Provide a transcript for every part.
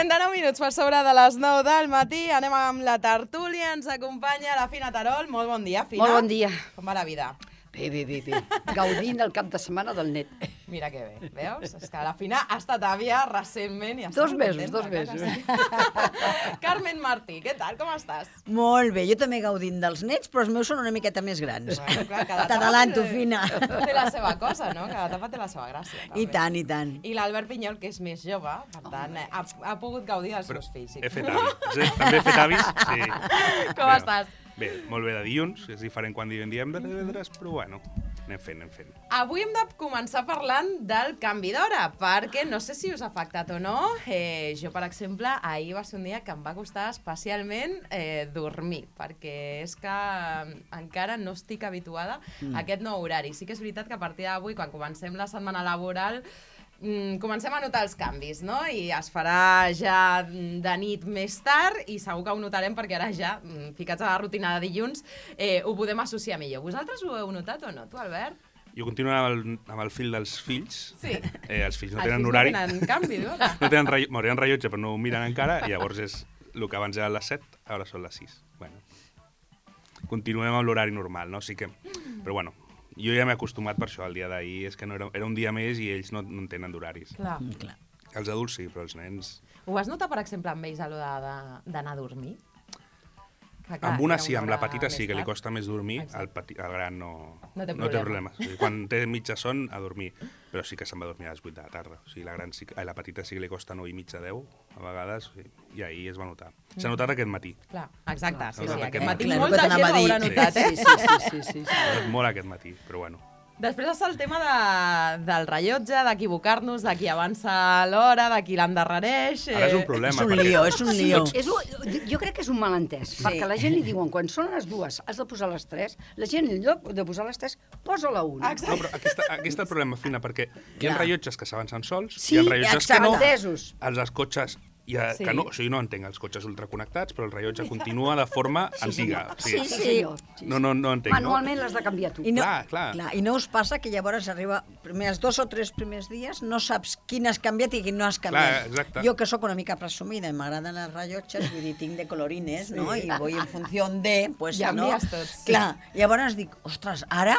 49 minuts per sobre de les 9 del matí. Anem amb la tertúlia. Ens acompanya la Fina Terol. Molt bon dia, Fina. Molt bon dia. Com va la vida? Bé. Gaudint el cap de setmana del net. Mira que bé, veus? És que la Fina ha estat àvia recentment i està 2 mesos, contenta, 2 mesos. Sí. Carmen Martí, què tal? Com estàs? Molt bé, jo també gaudint dels nets, però els meus són una miqueta més grans. Bueno, clar, cada T'adalanto, etapa Fina. té la seva cosa, no? Cada etapa té la seva gràcia. I tant, i tant. I l'Albert Pinyol, que és més jove, per tant, ha pogut gaudir dels seus fills. He fet avis. També he fet avis, sí. Com estàs? Bé, molt bé de dilluns, és diferent quan diem divendres, però bueno, anem fent. Avui hem de començar parlant del canvi d'hora, perquè no sé si us ha afectat o no. Jo, per exemple, ahir va ser un dia que em va costar especialment dormir, perquè és que encara no estic habituada a aquest nou horari. Sí que és veritat que a partir d'avui, quan comencem la setmana laboral, comencem a notar els canvis, no? I es farà ja de nit més tard i segur que ho notarem perquè ara ja, ficats a la rutina de dilluns, ho podem associar millor. Vosaltres ho heu notat o no? Tu, Albert? Jo continuo amb el fil dels fills. Sí. Els fills no tenen horari. Els fills no tenen canvi d'hora. No tenen rellotge, però no ho miren encara, i llavors és el que abans eren les 7, ara són les 6. Bueno, continuem amb l'horari normal, no? Sí que... Però bueno, jo ja m'he acostumat per això, el dia d'ahir, és que no era un dia més i ells no en tenen d'horaris. Clar. Els adults sí, però els nens... Ho vas notar, per exemple, amb ells a l'hora d'anar a dormir? Amb una sí, amb la petita sí, que li costa més dormir, el gran no té problemes. O sigui, quan té mitja son, a dormir, però sí que se'n va dormir a les 8 de la tarda. O sigui, la petita sí que li costa 9 i mitja, 10, a vegades, i ahir es va notar. S'ha notat aquest matí. Clar, exacte, sí, aquest matí matí. molta gent ho haurà notat, Sí. S'ha notat molt aquest matí, però bueno. Després està el tema del rellotge, d'equivocar-nos, de qui avança l'hora, de qui l'endarrereix... Ara és un problema. És un lío, és un lío. Jo crec que és un malentès, perquè la gent li diuen, quan són les 2, has de posar les 3, la gent, en lloc de posar les 3, posa la 1. Exacte. No, però aquí està el problema, Fina, perquè hi ha rellotges que s'avancen sols, Sí, hi ha rellotges que no. entesos. Els cotxes, Sí. que no, o sigui, no entenc els cotxes ultraconnectats, però el rellotge continua de forma antiga. Sí, senyor. No entenc. Manualment l'has de canviar tu. I no, Clar. I no us passa que llavors arriba els 2 o 3 primers dies, no saps quin has canviat i quin no has canviat. Clar, exacte. Jo, que sóc una mica presumida i m'agraden els rellotges, vull dir, tinc de colorines, no? I voy en funció de... Pues, Ja no? envies tots. Clar, llavors dic, ostres, ara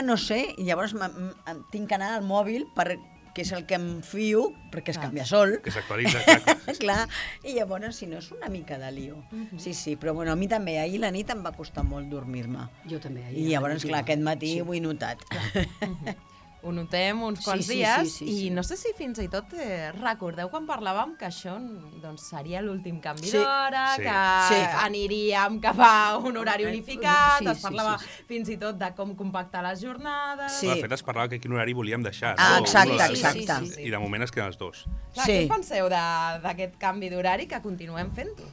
no sé, i llavors tinc que anar al mòbil que és el que em fio, perquè es canvia sol. Que s'actualitza, clar. Clar, i llavors, si no, és una mica de lío. Sí, però bueno, a mi també, ahir la nit em va costar molt dormir-me. Jo també. I llavors, clar, aquest matí ho he notat. Ho notem uns quants Sí, dies sí. i no sé si fins i tot recordeu quan parlàvem que això doncs, seria l'últim canvi Sí. d'hora, Sí. que aniríem cap a un horari unificat, Sí, es parlava fins i tot de com compactar les jornades... Sí. De fet, es parlava que quin horari volíem deixar. Exacte, No, exacte. I de moment es queden els 2. Clar, Sí. Què en penseu d'aquest canvi d'horari que continuem fent-ho?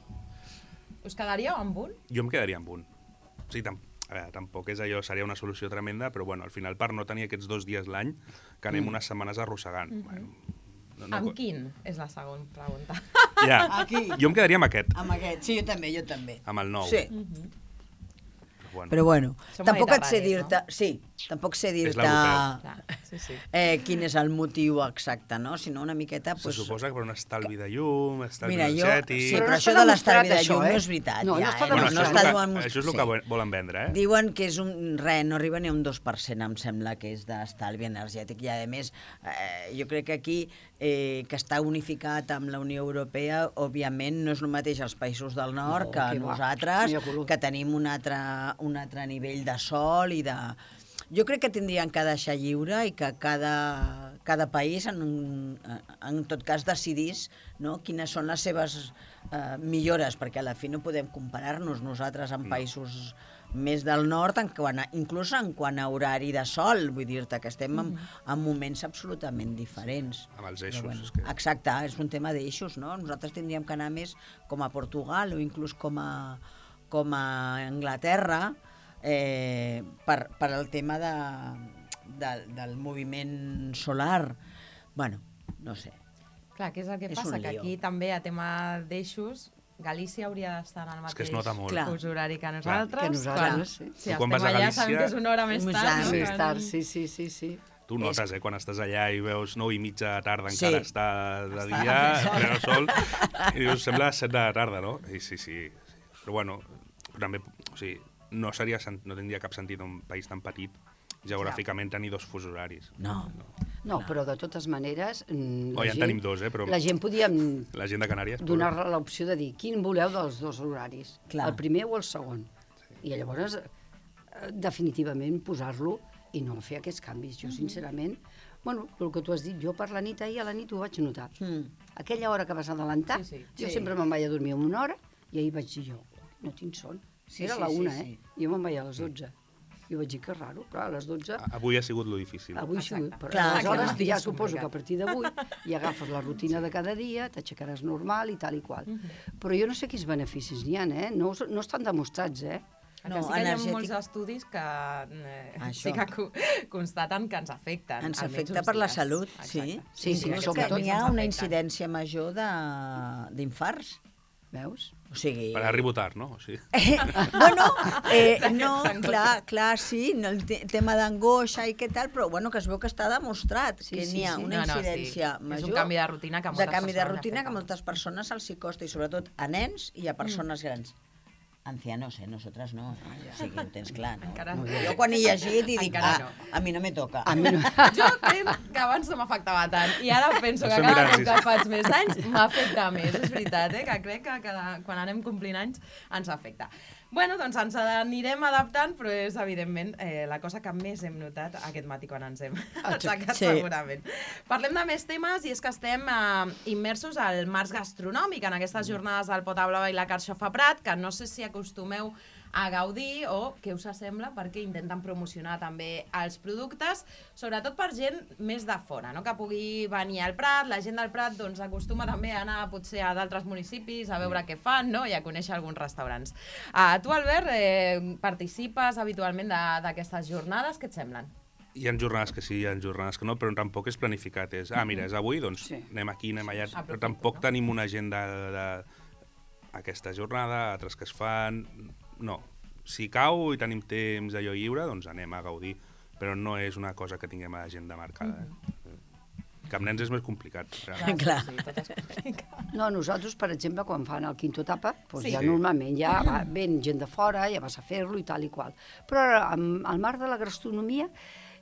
Us quedaríeu amb un? Jo em quedaria amb un. Sí, tampoc és allò, seria una solució tremenda, però bueno, al final per no tenir aquests 2 dies l'any, que anem unes setmanes arrossegant. Bueno, Amb quin? És la segona pregunta. Ja. Aquí. Jo em quedaria amb aquest, Amb aquest, sí, jo també. amb el 9. Sí, Bueno. però bueno, Som tampoc et sé mediterranis, dir-te... Sí, tampoc sé dir-te l'europeu. Clar, sí. quin és el motiu exacte, no? Sinó una miqueta... Se Pues, suposa que per un estalvi de llum, estalvi mira, energètic... sí, Però però no això està de l'estalvi de demostrat, llum això, no és veritat. No, no està Bueno, demostrat. això és el que volen vendre, eh? Diuen que és no arriba ni a un 2%, em sembla que és d'estalvi energètic. I, a més, jo crec que aquí, que està unificat amb la Unió Europea, òbviament no és el mateix als països del nord que que va. nosaltres, Ni a color. que tenim un altre nivell de sol i de... Jo crec que tindrien que deixar lliure i que cada país, en tot cas, decidís, no, quines són les seves millores, perquè a la fi no podem comparar-nos nosaltres amb països més del nord, inclús en quant a horari de sol, vull dir-te que estem en moments absolutament diferents. Amb els eixos. Però, És que... Exacte, és un tema d'eixos, no? Nosaltres tindríem que anar més com a Portugal o inclús com a Anglaterra, per al tema del moviment solar. Bueno, no sé. Clar, què és el que És passa? un Que lío. aquí també a tema d'eixos Galícia hauria d'estar en el És que mateix es nota molt. Clar. fus horari que nosaltres. Que nosaltres, sí. Si Tu quan estem vas a allà Galícia- sabem que és una hora més Més tard. tard. no? Més tard, sí. Tu notes, quan estàs allà i veus 9:30 de tarda, encara està de dia, pleno sol, i dius, sembla 7 de la tarda, no? I sí. Però bueno, també, o sigui, no tindria cap sentit un país tan petit geogràficament tenir 2 fusos horaris. No, però de totes maneres... Ja en tenim 2, però... La gent podíem la gent de Canàries, donar l'opció de dir quin voleu dels 2 horaris, Clar. el primer o el segon. I llavors, definitivament, posar-lo i no fer aquests canvis. Jo, sincerament, bueno, el que tu has dit, jo per la nit, ahir a la nit ho vaig notar. Aquella hora que vas adelantar, jo sempre me'n vaig a dormir una hora i ahir vaig dir jo, no tinc son. Era la 1, Jo me'n vaig a les 12. Jo vaig dir que és raro, però a les 12... Avui ha sigut lo difícil. Avui ha sigut, però aleshores ja suposo que a partir d'avui ja agafes la rutina de cada dia, t'aixecaràs normal i tal i qual. Però jo no sé quins beneficis n'hi ha, no estan demostrats, No, sí que hi ha molts estudis que sí que constaten que ens afecten. Ens afecta per la salut, sí. Sí, sobretot hi ha una incidència major d'infarts. Veus? O sigui... Per Harry Potter, no? Sí. No, clar, sí, el tema d'angoixa i què tal, però bueno, que es veu que està demostrat que n'hi ha una incidència major. És un canvi de rutina que moltes persones els hi costa, i sobretot a nens i a persones grans. Ancianos, nosotras no. O sigui, ho tens clar, no? Jo quan he llegit i dic, a mi no me toca. Jo crec que abans no m'afectava tant, i ara penso que cada cop que faig més anys m'afecta més, és veritat, que crec que quan anem complint anys ens afecta. Bueno, doncs ens anirem adaptant, però és, evidentment, la cosa que més hem notat aquest matí quan ens hem aixecat, segurament. Parlem de més temes, i és que estem immersos al març gastronòmic, en aquestes jornades del Pota Blava i la Carxofa Prat, que no sé si acostumeu a gaudir o què us sembla, perquè intenten promocionar també els productes, sobretot per gent més de fora, no? Que pugui venir al Prat. La gent del Prat doncs, acostuma també a anar potser a d'altres municipis a veure què fan, no? I a conèixer alguns restaurants. Tu, Albert, participes habitualment d'aquestes jornades, què et semblen? Hi ha jornades que sí, hi ha jornades que no, però tampoc és planificat. Mira, és avui, doncs anem aquí, anem allà. Però tampoc tenim una agenda d'aquesta jornada, altres que es fan... No, si cau i tenim temps allò lliure, doncs anem a gaudir, però no és una cosa que tinguem a l'agenda marcada. Que amb nens és més complicat. Clar. No, nosaltres, per exemple, quan fan el Quinto Tapa, ja normalment ja ven gent de fora, ja vas a fer-lo i tal i qual. Però al marc de la gastronomia,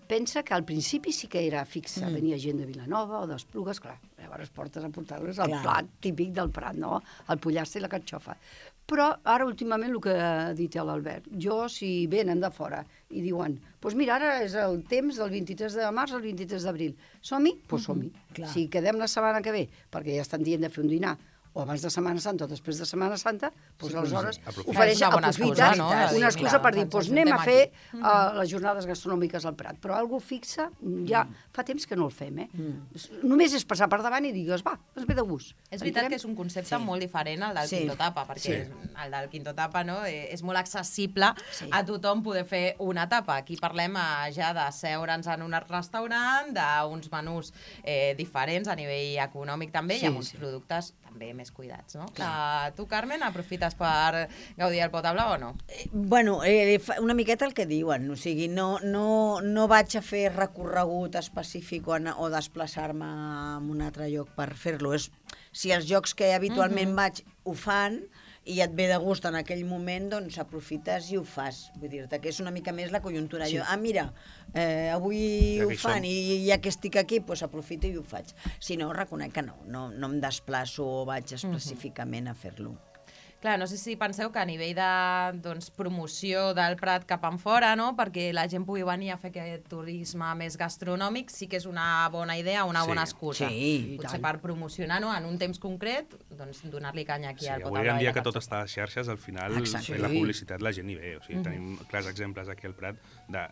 pensa que al principi sí que era fixa, venia gent de Vilanova o d'Esplugues, clar, llavors portes a portar-los el plat típic del Prat, no? El pollastre i la carxofa. Però ara, últimament, el que ha dit l'Albert, si venen de fora i diuen, doncs mira, ara és el temps del 23 de març al 23 d'abril, som-hi? Doncs som-hi. Si quedem la setmana que ve, perquè ja estan dient de fer un dinar, o abans de Setmana Santa o després de Setmana Santa, doncs aleshores aprofiten una excusa per dir, doncs anem a fer les jornades gastronòmiques al Prat. Però algú fixa, ja fa temps que no el fem, Només és passar per davant i digues, va, ens ve de gust. És veritat que és un concepte molt diferent al del Quinto Tapa, perquè el del Quinto Tapa és molt accessible a tothom poder fer una tapa. Aquí parlem ja de seure'ns en un restaurant, d'uns menús diferents a nivell econòmic també, i amb uns productes també més cuidats, no? Tu, Carmen, aprofites per gaudir el Pota Blava o no? Bueno, una miqueta el que diuen, o sigui, no vaig a fer recorregut específic o desplaçar-me a un altre lloc per fer-lo. Si els llocs que habitualment vaig ho fan i et ve de gust en aquell moment, doncs aprofites i ho fas. Vull dir-te que és una mica més la conjuntura. Mira, avui ho fan i ja que estic aquí, doncs aprofito i ho faig. Si no, reconec que no em desplaço o vaig específicament a fer-lo. Clar, no sé si penseu que a nivell de promoció del Prat cap enfora, no? Perquè la gent pugui venir a fer aquest turisme més gastronòmic, sí que és una bona idea, una bona excusa. Potser per promocionar, no? En un temps concret, doncs donar-li canya aquí al Pota Blava. Avui en dia que tot està a les xarxes, al final fer la publicitat la gent hi ve. O sigui, tenim clars exemples aquí al Prat de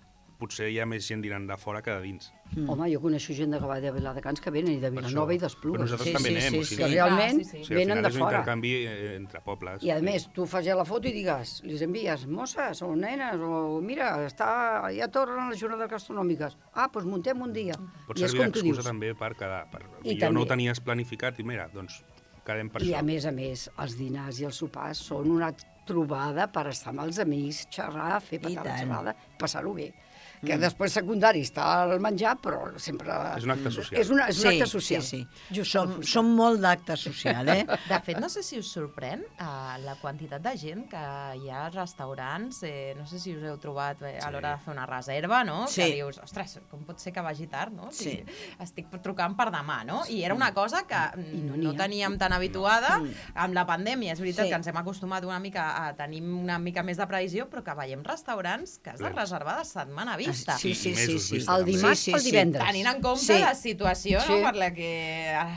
potser hi ha més gent dinant de fora que de dins. Home, jo coneixo gent de Viladecans que venen, i de Vilanova i d'Esplugues. Però nosaltres també anem. Que realment venen de fora. És un intercanvi entre pobles. I a més, tu fas ja la foto i digues, les envies, mosses o nenes, o mira, ja tornen les jornades gastronòmiques. Doncs muntem un dia. Pot servir d'excusa també per quedar. Jo no ho tenies planificat i mira, doncs quedem per això. I a més, els dinars i els sopars són una trobada per estar amb els amics, xerrar, fer patar la xerrada, passar-ho bé. Que després secundari està el menjar, però sempre... És un acte social. És un acte social. Sí. Som molt d'acte social, eh? De fet, no sé si us sorprèn la quantitat de gent que hi ha als restaurants, no sé si us heu trobat a l'hora de fer una reserva, no? Sí. Que dius, ostres, com pot ser que vagi tard, no? Sí. Estic trucant per demà, no? I era una cosa que no teníem tan habituada. Amb la pandèmia, és veritat que ens hem acostumat una mica a tenir una mica més de previsió, però que veiem restaurants que has de reservar de setmana vista. Sí. El dimarts pel divendres. Tenint en compte la situació per la que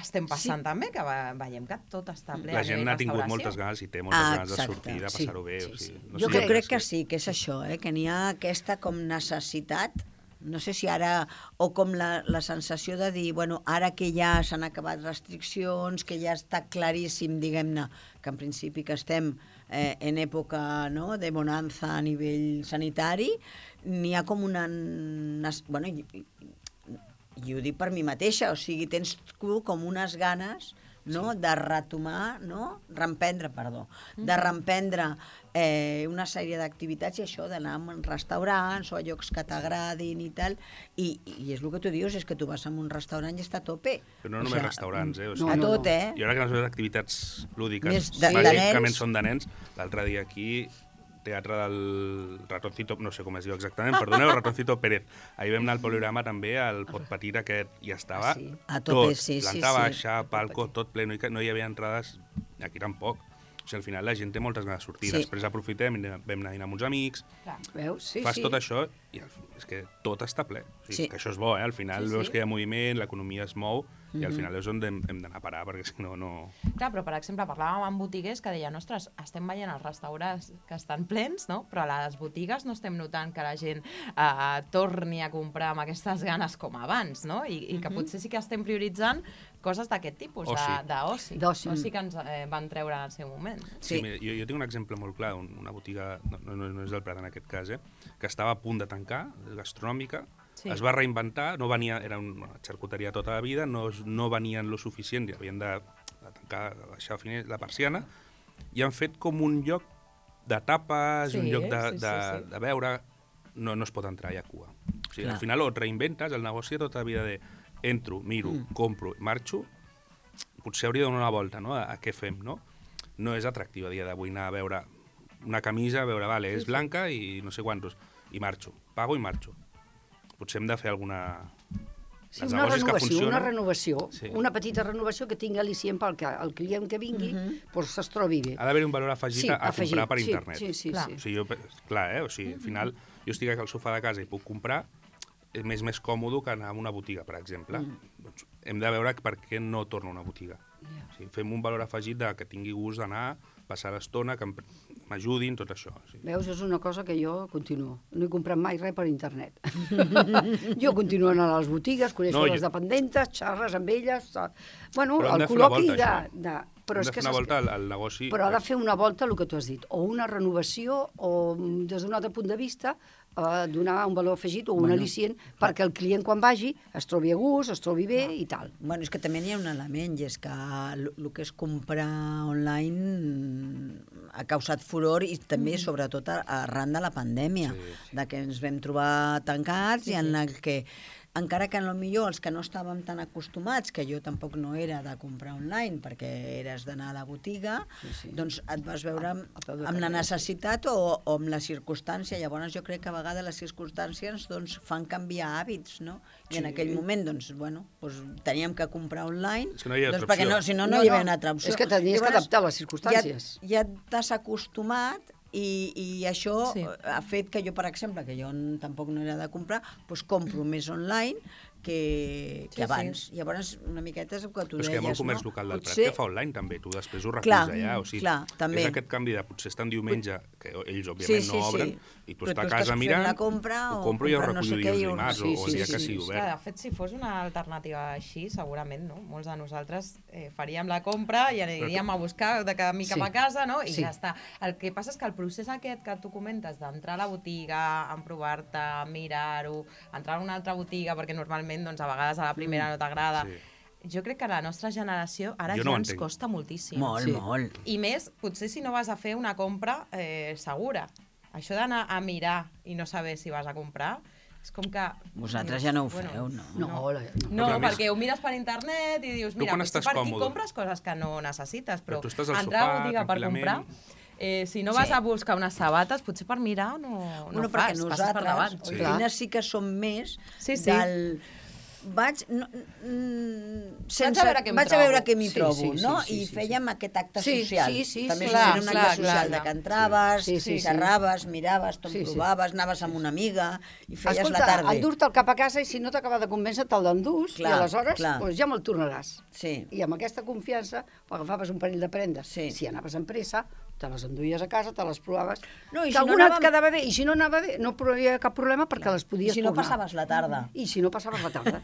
estem passant també, que veiem que tot està ple. La gent ha tingut moltes ganes i té moltes ganes de sortir, de passar-ho bé. Jo crec que sí, que és això, que n'hi ha aquesta com necessitat, no sé si ara, o com la sensació de dir, bueno, ara que ja s'han acabat restriccions, que ja està claríssim, diguem-ne, que en principi que estem en època de bonança a nivell sanitari, n'hi ha com una... Bueno, i ho dic per mi mateixa, o sigui, tens tu com unes ganes de retomar, de reemprendre una sèrie d'activitats i això d'anar a restaurants o a llocs que t'agradin i tal, i és el que tu dius, és que tu vas a un restaurant i està a tope. Però no només restaurants, O sigui, a tot, I ara que les activitats lúdiques bàsicament són de nens, l'altre dia aquí teatre del Ratoncito, no sé com es diu exactament, perdoneu, Ratoncito Pérez. Ahir vam anar al Poliorama també, al pot petit aquest, i estava tot, planta baixa, palco, tot ple, no hi havia entrades, aquí tampoc. O sigui, al final la gent té moltes ganes de sortir, després aprofitem, vam anar a dinar amb uns amics, fas tot això i és que tot està ple. O sigui, que això és bo, al final veus que hi ha moviment, l'economia es mou, i al final és on hem d'anar a parar, perquè si no... Clar, però per exemple, parlàvem amb botiguers que deien, ostres, estem veient els restaurants que estan plens, no? Però a les botigues no estem notant que la gent torni a comprar amb aquestes ganes com abans, no? I que potser sí que estem prioritzant coses d'aquest tipus, d'oci. D'oci que ens van treure en el seu moment. Sí, mira, jo tinc un exemple molt clar, una botiga, no és del Prat en aquest cas, que estava a punt de tancar, gastronòmica, es va reinventar, no venia, era una xarcuteria tota la vida, no venien lo suficient i havien de tancar, de baixar la persiana, i han fet com un lloc de tapes, un lloc de beure, no es pot entrar, hi ha cua. O sigui, al final et reinventes el negoci tota la vida de entro, miro, compro, marxo, potser hauria de donar una volta, no?, a què fem, no? No és atractiu a dia d'avui anar a veure una camisa, veure, vale, és blanca i no sé quantos, i marxo, pago i marxo. Potser hem de fer alguna... una renovació, una petita renovació que tingui al·licient perquè el client que vingui es trobi bé. Ha d'haver un valor afegit a comprar per internet. Sí. O sigui, al final, jo estic al sofà de casa i puc comprar, és més còmode que anar a una botiga, per exemple. Doncs hem de veure per què no torno a una botiga. O sigui, fem un valor afegit que tingui gust d'anar, passar l'estona, que m'ajudin, tot això. Veus, és una cosa que jo continuo. No he comprat mai res per internet. Jo continuo anant a les botigues, coneixo les dependentes, xerres amb elles... Bueno, el col·loqui de... Però hem de fer una volta al negoci... Però ha de fer una volta, el que tu has dit, o una renovació, o des d'un altre punt de vista, donar un valor afegit o un al·licient perquè el client quan vagi es trobi a gust, es trobi bé i tal. Bueno, és que també hi ha un element, i és que el que és comprar online ha causat furor i també, sobretot, arran de la pandèmia, de que ens vam trobar tancats i en la que encara que potser els que no estàvem tan acostumats, que jo tampoc no era de comprar online perquè eres d'anar a la botiga, doncs et vas veure amb la necessitat o amb la circumstància. Llavors jo crec que a vegades les circumstàncies fan canviar hàbits, no? I en aquell moment, teníem que comprar online, perquè si no hi havia una altra opció. És que tenies que adaptar les circumstàncies. Ja t'has acostumat i això ha fet que jo, per exemple, que jo tampoc no era de comprar, doncs compro més online que abans. Llavors, una miqueta és el que tu deies, no? Però és que hi ha molt comerç local del Prat que fa online, també. Tu després ho reculls allà. O sigui, és aquest canvi de potser estar en diumenge, que ells, òbviament, no obren, i tu estàs a casa mirant, ho compro i ho recullo dimarts o el dia que sigui obert. De fet, si fos una alternativa així, segurament, no? Molts de nosaltres faríem la compra i aniríem a buscar de camí cap a casa, no? I ja està. El que passa és que el procés aquest que tu comentes d'entrar a la botiga, emprovar-te, mirar-ho, entrar a una altra botiga, perquè normalment a vegades a la primera no t'agrada. Jo crec que a la nostra generació ara ja ens costa moltíssim. Molt. I més, potser si no vas a fer una compra segura. això d'anar a mirar i no saber si vas a comprar, és com que... Vosaltres ja no ho feu, no? No, perquè ho mires per internet i dius, mira, per aquí compres coses que no necessites, però entrar a botiga per comprar... Si no vas a buscar unes sabates, potser per mirar no fas, passes per davant. Nosaltres sí que som més del... Vaig a veure què m'hi trobo, no? I fèiem aquest acte social. També era un acte social de que entraves, xerraves, miraves, te'n provaves, anaves amb una amiga i feies la tarda. Escolta, endur-te'l cap a casa i si no t'acaba de convèncer te'l d'endús i aleshores ja me'l tornaràs. I amb aquesta confiança agafaves un parell de prendes. Si anaves amb pressa, te les enduies a casa, te les provaves, que alguna et quedava bé, i si no anava bé no hi havia cap problema perquè les podies tornar. I si no passaves la tarda. I si no passaves la tarda.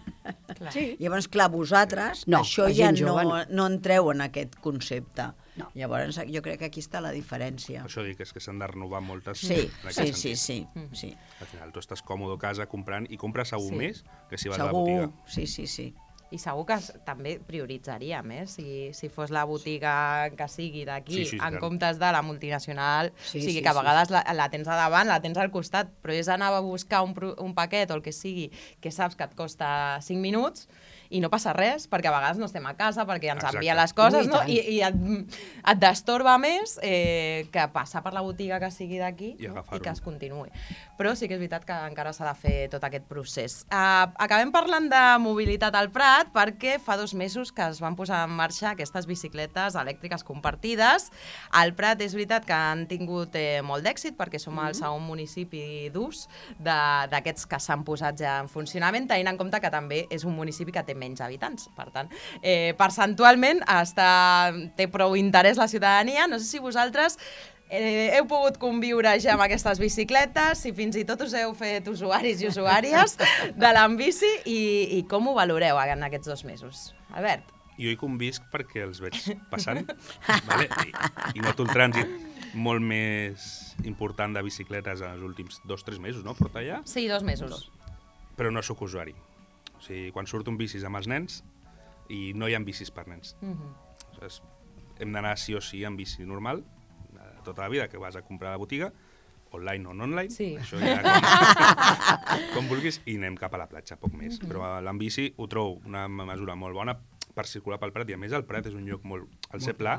Llavors, clar, vosaltres això ja no entreu en aquest concepte. Llavors, jo crec que aquí està la diferència. Això dic, és que s'han de renovar moltes... Sí. Al final, tu estàs còmode a casa comprant i compres segur més que si vas a la botiga. Sí. I segur que també prioritzaríem, si fos la botiga que sigui d'aquí, en comptes de la multinacional, sigui que a vegades la tens a davant, la tens al costat, però és anar a buscar un paquet o el que sigui, que saps que et costa 5 minuts, i no passa res, perquè a vegades no estem a casa, perquè ens envia les coses, no? I et destorba més que passar per la botiga que sigui d'aquí i que es continuï. Però sí que és veritat que encara s'ha de fer tot aquest procés. Acabem parlant de mobilitat al Prat, perquè fa 2 mesos que es van posar en marxa aquestes bicicletes elèctriques compartides. Al Prat és veritat que han tingut molt d'èxit, perquè som el segon municipi d'ús d'aquests que s'han posat ja en funcionament, tenint en compte que també és un municipi que té menys habitants. Per tant, percentualment té prou interès la ciutadania. No sé si vosaltres heu pogut conviure ja amb aquestes bicicletes, si fins i tot us heu fet usuaris i usuàries de l'Ambici i com ho valoreu en aquests 2 mesos. Albert? Jo hi convisc perquè els veig passant i noto el trànsit molt més important de bicicletes en els últims 2-3 mesos, no? Porta ja? Sí, 2 mesos. Però no sóc usuari. O sigui, quan surto amb bicis amb els nens i no hi ha bicis per nens. Hem d'anar sí o sí amb bici normal, tota la vida, que vas a comprar a la botiga, online o no online, això ja com vulguis, i anem cap a la platja, poc més. Però l'ambici ho trobo una mesura molt bona per circular pel Prat, i a més el Prat és un lloc molt... El ser pla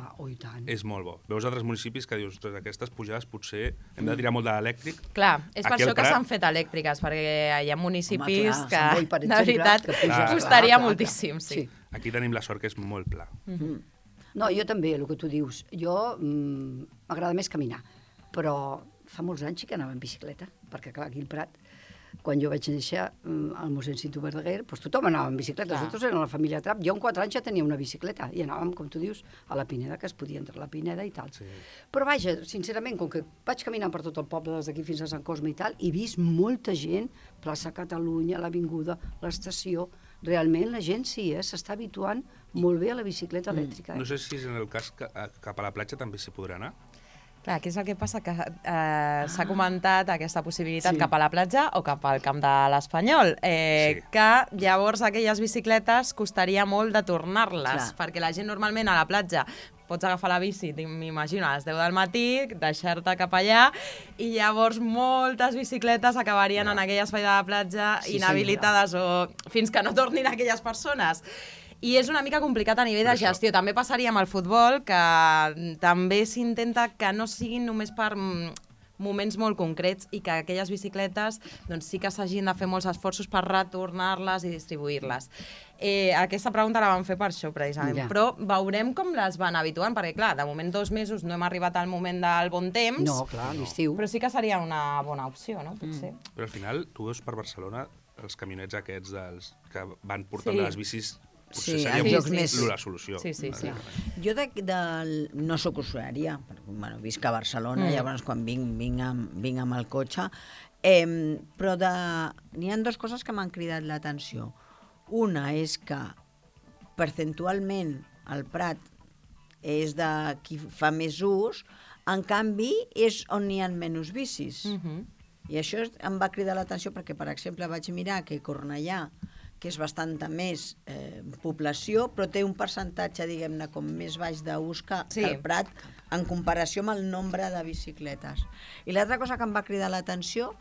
és molt bo. Veus altres municipis que dius, aquestes pujades potser hem de tirar molt de l'elèctric. Clar, és per això que s'han fet elèctriques, perquè hi ha municipis que, de veritat, costaria moltíssim. Aquí tenim la sort que és molt pla. No, jo també, el que tu dius. Jo m'agrada més caminar, però fa molts anys que anava en bicicleta, perquè clar, aquí al Prat, quan jo vaig néixer al mossèn Cinto Verdaguer, doncs tothom anava en bicicleta, nosaltres érem la família Trapp. Jo amb 4 anys ja tenia una bicicleta i anàvem, com tu dius, a la Pineda, que es podia entrar a la Pineda i tal. Però vaja, sincerament, com que vaig caminant per tot el poble, des d'aquí fins a Sant Cosme i tal, he vist molta gent, plaça Catalunya, l'Avinguda, l'estació. Realment la gent s'està habituant molt bé a la bicicleta elèctrica. No sé si és en el cas que cap a la platja també s'hi podrà anar. Clar, què és el que passa? Que s'ha comentat aquesta possibilitat cap a la platja o cap al camp de l'Espanyol, que llavors aquelles bicicletes costaria molt de tornar-les, perquè la gent normalment a la platja pots agafar la bici, m'imagino, a les 10 del matí, deixar-te cap allà, i llavors moltes bicicletes acabarien en aquell espai de la platja inhabilitades o fins que no tornin aquelles persones. I és una mica complicat a nivell de gestió. També passaria amb el futbol, que també s'intenta que no siguin només per moments molt concrets i que aquelles bicicletes doncs, sí que s'hagin de fer molts esforços per retornar-les i distribuir-les. Aquesta pregunta la vam fer per això, precisament. Però veurem com les van habituant, perquè, clar, de moment 2 mesos no hem arribat al moment del bon temps. No, clar, l'estiu. Però sí que seria una bona opció, no? Potser. Però al final, tu veus per Barcelona els camionets aquests que van portant les bicis. Sí, seria la solució. Jo no soc usuària, visc a Barcelona, llavors quan vinc amb el cotxe, però n'hi ha 2 coses que m'han cridat l'atenció. Una és que percentualment el Prat és de qui fa més ús, en canvi és on hi ha menys bicis. I això em va cridar l'atenció perquè, per exemple, vaig mirar que Cornellà que és bastant més població, però té un percentatge, diguem-ne, com més baix d'ús que el Prat, en comparació amb el nombre de bicicletes. I l'altra cosa que em va cridar l'atenció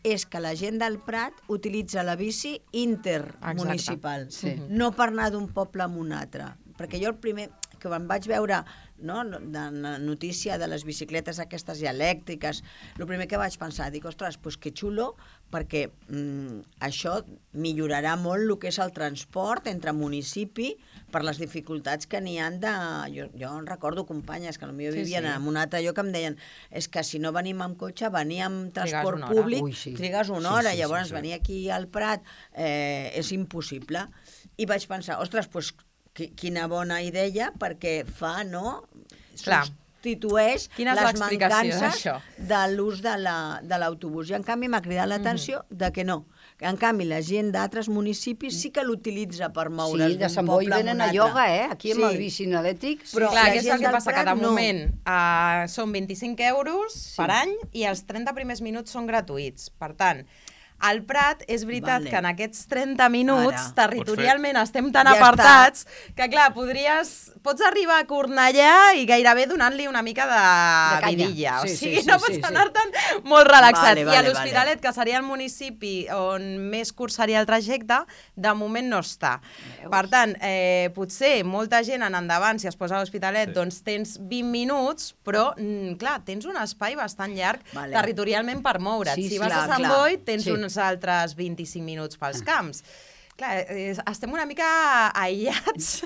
és que la gent del Prat utilitza la bici intermunicipal, no per anar d'un poble a un altre. Perquè jo el primer que em vaig veure de la notícia de les bicicletes aquestes elèctriques, el primer que vaig pensar, dic, ostres, doncs que xulo, perquè això millorarà molt el que és el transport entre municipi per les dificultats que n'hi ha de... Jo en recordo companyes que potser vivien en un altre lloc que em deien és que si no venim amb cotxe, venir amb transport públic, trigues una hora, llavors venir aquí al Prat és impossible. I vaig pensar, ostres, doncs quina bona idea, perquè fa, substitueix les mancances de l'ús de l'autobús. I en canvi m'ha cridat l'atenció de que no. En canvi, la gent d'altres municipis sí que l'utilitza per moure's d'un poble a un altre. Sí, de Sant Boi venen a ioga, aquí amb el bici elèctric. Però clar, què és el que passa? Que de moment són 25 euros per any i els 30 primers minuts són gratuïts. Per tant, al Prat és veritat que en aquests 30 minuts territorialment estem tan apartats que, clar, pots arribar a Cornellà i gairebé donant-li una mica de vidilla. O sigui, no pots anar-te'n molt relaxat. I a l'Hospitalet, que seria el municipi on més curt seria el trajecte, de moment no està. Per tant, potser molta gent en endavant, si es posa a l'Hospitalet, doncs tens 20 minuts, però, clar, tens un espai bastant llarg territorialment per moure't. Si vas a Sant Boi, tens uns altres 25 minuts pels camps. Clar, estem una mica aïllats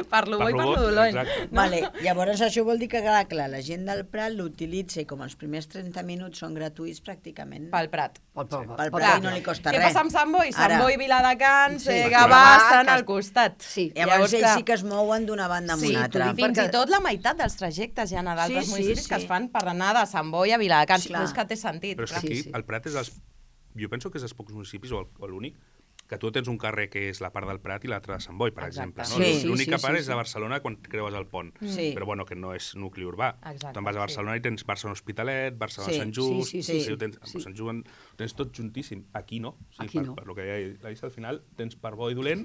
per lo bo i per lo dolent. Llavors això vol dir que, clar, la gent del Prat l'utilitza i com els primers 30 minuts són gratuïts pràcticament. Pel Prat. Pel Prat i no li costa res. Què passa amb Sant Boi? Sant Boi, Viladecans, Gavà, estan al costat. Llavors ells sí que es mouen d'una banda a una altra. Fins i tot la meitat dels trajectes hi ha d'altres municipis que es fan per anar de Sant Boi a Viladecans. És que té sentit. Però és que aquí el Prat és jo penso que és dels pocs municipis, o l'únic, que tu tens un carrer que és la part del Prat i l'altra de Sant Boi, per exemple. L'única part és de Barcelona quan creues el pont, però bueno, que no és nucli urbà. Te'n vas a Barcelona i tens Barcelona Hospitalet, Barcelona Sant Just, Sant Just ho tens tot juntíssim. Aquí no. Per lo que ja al final tens per bo i dolent,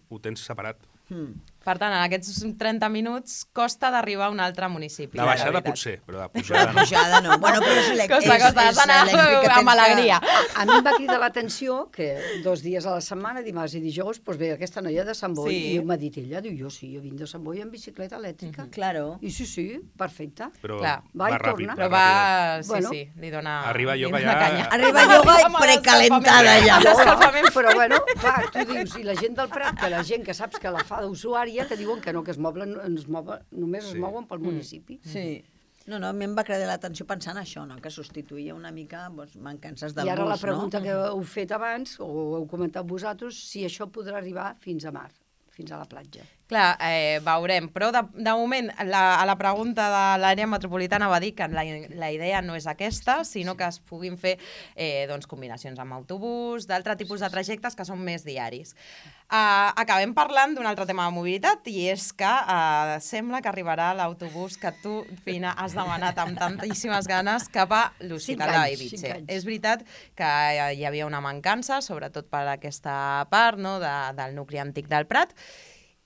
ho tens separat. Per tant, en aquests 30 minuts costa d'arribar a un altre municipi. De baixada potser, però de pujada no. De pujada no. Bueno, però és elèctric. Costa, has d'anar amb alegria. A mi em va cridar l'atenció que 2 dies a la setmana, dimarts i dijous, doncs ve aquesta noia de Sant Boi i m'ha dit ella, diu, jo vinc de Sant Boi amb bicicleta elèctrica. Claro. I sí, perfecte. Però va ràpid. Però va, sí, li dona... Arriba ioga ja... Arriba ioga i precalentada ja. Però bueno, clar, tu dius, i la gent del Prat, que la gent que saps que la fa d'usuària, que diuen que no, que només es mouen pel municipi. Sí. No, a mi em va cridar l'atenció pensant això, que substituïa una mica mancances del bus. I ara la pregunta que heu fet abans, o heu comentat vosaltres, si això podrà arribar fins a mar, fins a la platja. Clar, veurem, però de moment a la pregunta de l'àrea metropolitana va dir que la idea no és aquesta, sinó que es puguin fer combinacions amb autobús, d'altre tipus de trajectes que són més diaris. Acabem parlant d'un altre tema de mobilitat i és que sembla que arribarà l'autobús que tu, Fina, has demanat amb tantíssimes ganes cap a l'Hospital de Bellvitge. És veritat que hi havia una mancança, sobretot per aquesta part del nucli antic del Prat,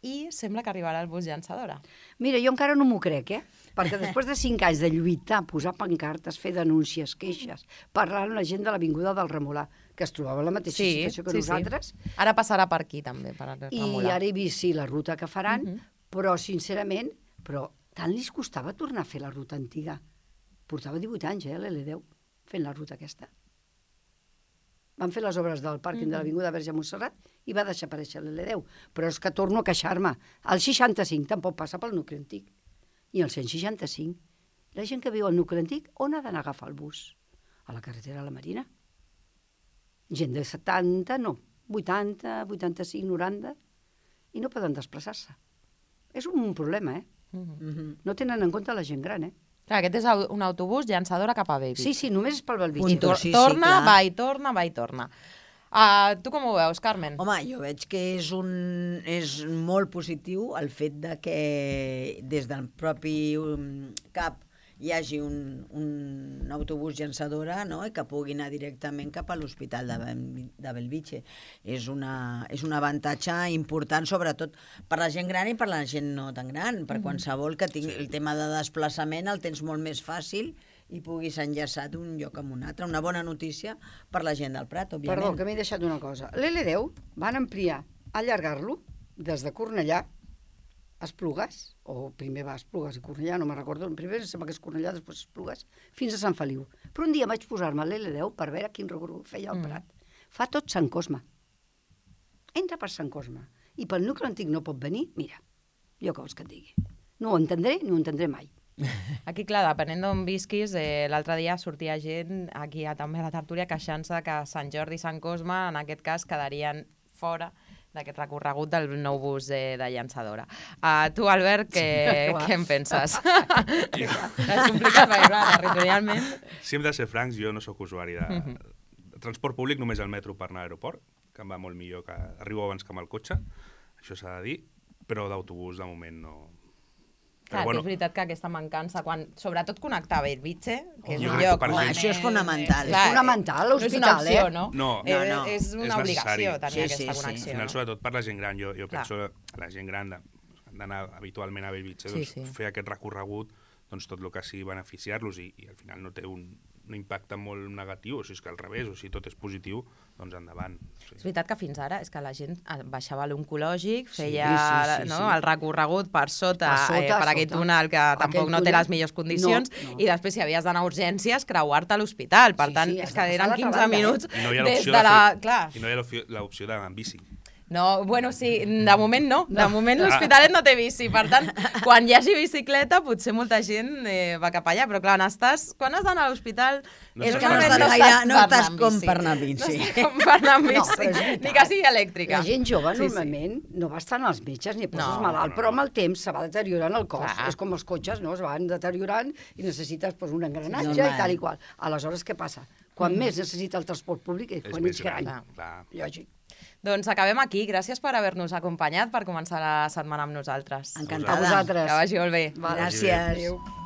i sembla que arribarà el bus llançadora. Mira, jo encara no m'ho crec, perquè després de 5 anys de lluitar, posar pancartes, fer denúncies, queixes, parlar amb la gent de l'Avinguda del Remolà, que es trobava en la mateixa situació que nosaltres. Ara passarà per aquí, també, per Remolà. I ara he vist, la ruta que faran, però, sincerament, tant li costava tornar a fer la ruta antiga. Portava 18 anys, l'L10, fent la ruta aquesta. Van fer les obres del pàrquing de l'Avinguda Verge Montserrat i va deixar aparèixer l'L10. Però és que torno a queixar-me. El 65 tampoc passa pel nucli antic. I el 165. La gent que viu al nucli antic, on ha d'anar a agafar el bus? A la carretera de la Marina. Gent de 70, no. 80, 85, 90. I no poden desplaçar-se. És un problema, No tenen en compte la gent gran, Clar, aquest és un autobús llançadora cap a Bellvitge. Sí, només és pel Bellvitge. I torna, va i torna. Tu com ho veus, Carmen? Home, jo veig que és molt positiu el fet de que des del propi CAP hi hagi un autobús llançadora, no?, i que pugui anar directament cap a l'Hospital de Bellvitge. És un avantatge important, sobretot per la gent gran i per la gent no tan gran. Per qualsevol que tingui el tema de desplaçament el tens molt més fàcil i puguis enllaçar d'un lloc amb un altre. Una bona notícia per la gent del Prat, òbviament. Perdó, que m'he deixat una cosa. L'L10 van ampliar, allargar-lo des de Cornellà a Esplugues, o primer va a Esplugues i Cornellà, no me'n recordo, primer sembla que és Cornellà, després Esplugues, fins a Sant Feliu. Però un dia vaig posar-me l'L10 per veure quin recorregut feia el Prat. Fa tot Sant Cosme. Entra per Sant Cosme. I pel nucli antic no pot venir, mira, jo què vols que et digui. No ho entendré ni ho entendré mai. Aquí, clar, depenent d'on visquis, l'altre dia sortia gent aquí també a la tertúlia queixant-se que Sant Jordi i Sant Cosme, en aquest cas, quedarien fora d'aquest recorregut del nou bus de llançadora. Tu, Albert, què en penses? És complicat, perquè, clar, territorialment... Si hem de ser francs, jo no sóc usuari de transport públic, només el metro per anar a l'aeroport, que em va molt millor, que arribo abans que amb el cotxe, això s'ha de dir, però d'autobús de moment no... Clar, bueno, és veritat que aquesta mancança, quan sobretot connectar a Bellvitge, que és un crec lloc... que per gent- Això és fonamental. És fonamental, No és una l'hospital, opció, no? No. És una És obligació necessari. tenir Sí, aquesta sí, connexió. Al final, no? sobretot per la gent gran, jo penso que la gent gran d'anar habitualment a Bellvitge, doncs, fer aquest recorregut, doncs tot el que sigui beneficiar-los i al final no té un impacte molt negatiu, o si és que al revés, o si tot és positiu, doncs endavant. Sí. És veritat que fins ara és que la gent baixava a l'oncològic, feia sí. el recorregut per sota, per aquell sota. túnel que tampoc no té túnel, les millors condicions, no. i després si havies d'anar a urgències, creuar-te a l'hospital. Per tant, sí, és que has de eren passar 15 la banda, minuts I no hi ha des l'opció de la... de i no hi ha l'opció d'anar amb bici. No, bueno, sí, de moment no. De moment l'Hospitalet no té bici. Per tant, quan hi hagi bicicleta, potser molta gent va cap allà. Però clar, quan has d'anar a l'hospital... No És estàs que no estàs com per anar amb bici. No estàs com per anar amb No, bici, però és veritat. ni que sigui elèctrica. La gent jove Sí, normalment no va estar als metges ni et poses No, malalt, però amb el temps se va deteriorant el cos. Clar. És com els cotxes, no? Es van deteriorant i necessites un engranatge normal. i tal i qual. Aleshores, què passa? Quan més necessita el transport públic és quan més ets gran. Clar. Lògic. Doncs acabem aquí. Gràcies per haver-nos acompanyat, per començar la setmana amb nosaltres. Encantada. A vosaltres. Que vagi molt bé. Vale. Gràcies. Adéu.